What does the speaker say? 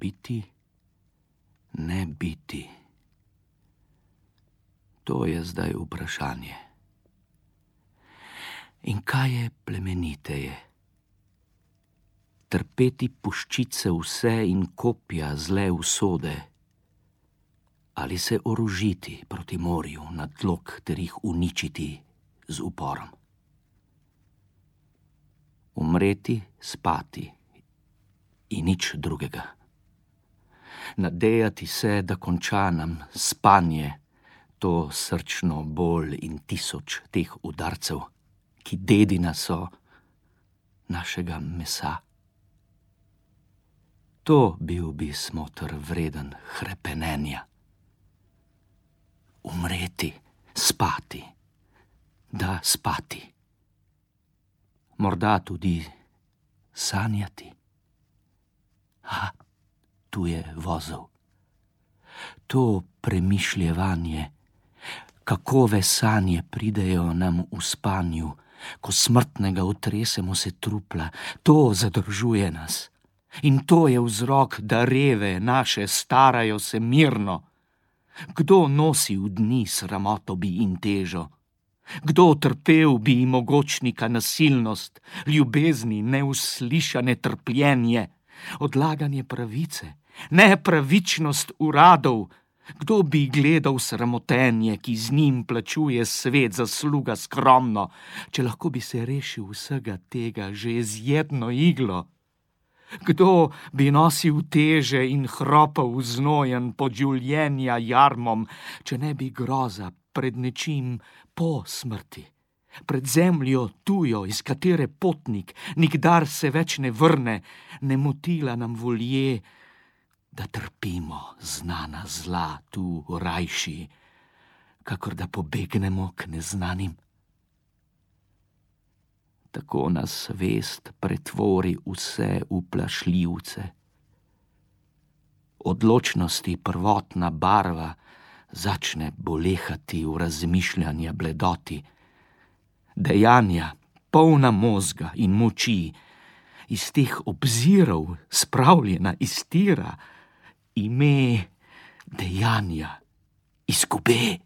biti, ne biti? To je zdaj vprašanje. In kaj je plemeniteje? Trpeti puščice vse in kopja zle usode, ali se orožiti proti morju na tlok ter jih uničiti z uporom? Umreti, spati in nič drugega. Nadejati se, da konča nam spanje to srčno bol in 1000 teh udarcev, ki dedina so našega mesa. To bil bi smotr vreden hrepenenja. Umreti, spati, da spati. Morda tudi sanjati. Tu je vozel. To premišljevanje, kakove sanje pridejo nam v spanju, ko smrtnega otresemo se trupla, to zadržuje nas. In to je vzrok, da reve naše starajo se mirno. Kdo nosi v dni sramotobi in težo? Kdo trpel bi mogočnika nasilnost, ljubezni neuslišane trpljenje, odlaganje pravice, nepravičnost uradov? Kdo bi gledal sramotenje, ki z njim plačuje svet zasluga skromno, če lahko bi se rešil vsega tega že z jedno iglo? Kdo bi nosil teže in hropal znojen pod življenja jarmom, če ne bi groza pred nečim po smrti, pred zemljo tujo, iz katere potnik nikdar se več ne vrne, ne motila nam volje, da trpimo znana zla tu rajši, kakor da pobegnemo k neznanim? Tako nas vest pretvori vse v plašljivce. Odločnosti prvotna barva začne bolehati v razmišljanja bledoti. Dejanja, polna možga in moči, iz teh obzirov spravljena iztira, ime dejanja izgube.